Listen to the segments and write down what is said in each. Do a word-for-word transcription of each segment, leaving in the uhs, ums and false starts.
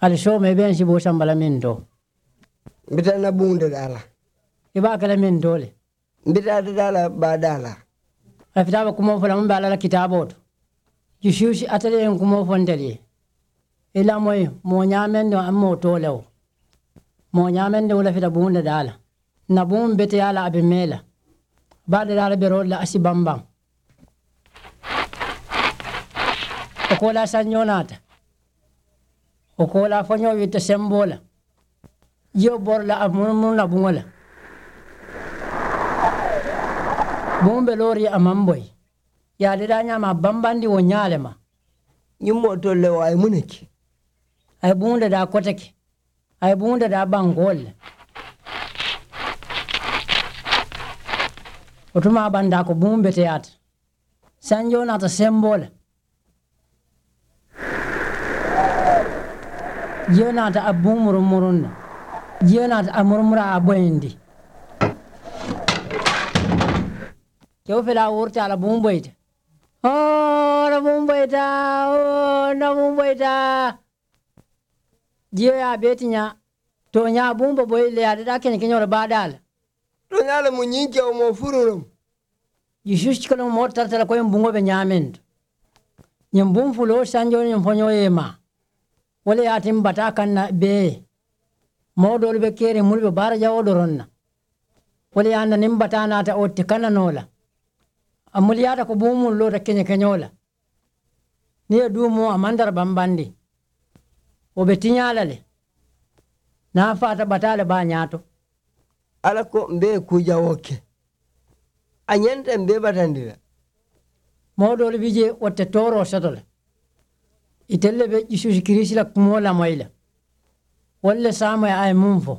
Ali sooma i be n siboo samba la mintoo. Mbi taa na buŋ dadaa la. I be a ke la mintoo le. Mbi taa dadaa la baa daa la. A fita a be kumoo fo la muŋ be alla la kitaaboo to. Yusuusi ate le ye n kumoo fo ntelu ye. I lamoyi moo ñaamendiŋo a moo too le wo. Moo ñaamendiŋo le fita buŋ dadaa la. N na buŋ beteyaa la a be mee la. Baa dadaa la beroo la a si bambaŋ. Wo koolaa sanjoo naata. Wo koolaa foñoo witta semboo la. Jiyo bori la a murumuru na buŋo la. Buŋ be loori a maŋ boyi. Ye a dadaa ñaama a bambandi wo ñaa le ma. Ñiŋ moo tolu le wo a ye muŋ ne ke? A ye buŋ dadaa kote ke. A ye buŋ dadaa bankoolu le. Wo tuma a bandaa ko buŋ beteyaata. Sanjoo naata semboo le. Jiyo naata a buŋ murumuruŋ na. Jiyo naata a murumura a boyindi. Kewo fele a wurita a la buŋ boyita. Hoo na buŋ boyita. Hoo na buŋ boyita. Jiyo ye a bee ti ñaa. Tooñaa buŋ be boyi le ye a dadaa keñe keñoo le baa daa la. Tooñaa le mu ñiŋ kewo moo furuŋ le mu. Yusuusu cikoloŋ moo tara tara ko ñiŋ buŋo be ñaameŋ to. Ñiŋ buŋ fuloo sanjoo ñiŋ foñoo ye maa. Wo le ye a ti mbataa kaŋ na bee. Moo doolu be keeriŋ mulu be baara jawoo doroŋ na. Wo le ye a na niŋ mbataa naata wo ti kana noo la. A muliyaata ko buŋ mulu loota keñe keñoo la. Niŋ ye duu moo a maŋ tara bambandi. Wo be tiñaa la le. Niŋ a faata bataa le be a ñaato. Alla ko mbe ye kuu jawoo ke. A ñanta mbe batandi la. Moo doolu bi jee wo te tooroo soto la. Itelu le be jisuusu kiriisi la kumoo lamoyi la. Wolu le saamoyi a ye muŋ fo.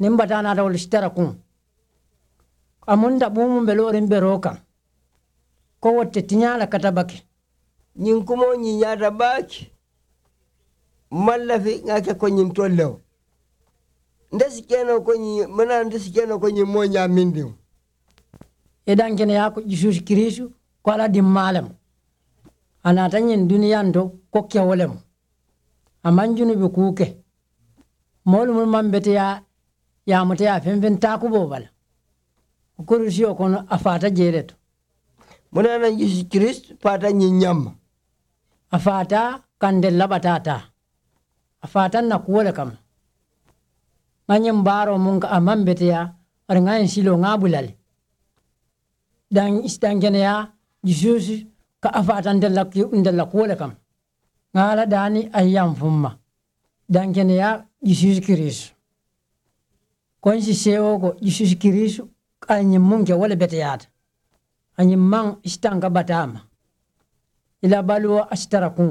Niŋ bataa naata wolu si tara kuŋ. A munta buŋ muŋ be looriŋ beroo kaŋ. Ko wo te tiñaa la kata bake. Ñiŋ kumoo ñiŋ ñaata baake. Maŋ lafi ŋa ke ko ñiŋ tolu le wo. Nte si ke noo ko ñiŋ mana nte si ke noo ko ñiŋ moo ñaamindiŋo. I dankeneyaa ko jisuusu kiriisu ko alla dimmaa le mu. A naata ñiŋ duniyaa n to ko kewo le mu. A maŋ junubi kuu ke. Moolu mulu maŋ beteyaa. Ye a muta ye a feŋ feŋ taakuboo bala. Kurusiyo kono a faata jee le to. Muŋ ne ye a naŋ jisuusu kiriisu faata ñiŋ ñaŋ ma. A faata ka ntelu la bataa taa. A faata n na kuwo le kamma. Ŋa ñiŋ baaroo muŋ ka a maŋ beteyaa bari ŋa ñiŋ siloo ŋa a bula le. Daŋ isi daŋ keneyaa jisuusu ka a faata ntelu la kuwo le kamma. Ŋa alla daani a ye yaŋ fumma. Daŋ keneyaa jisuusu kiriisu. Ko n si seewoo ko jisuusu kiriisu a ye ñiŋ muŋ ke wo le beteyaata. A ñiŋ maŋ isi tanka bataa ma. I la baluwo a si tara kuŋ.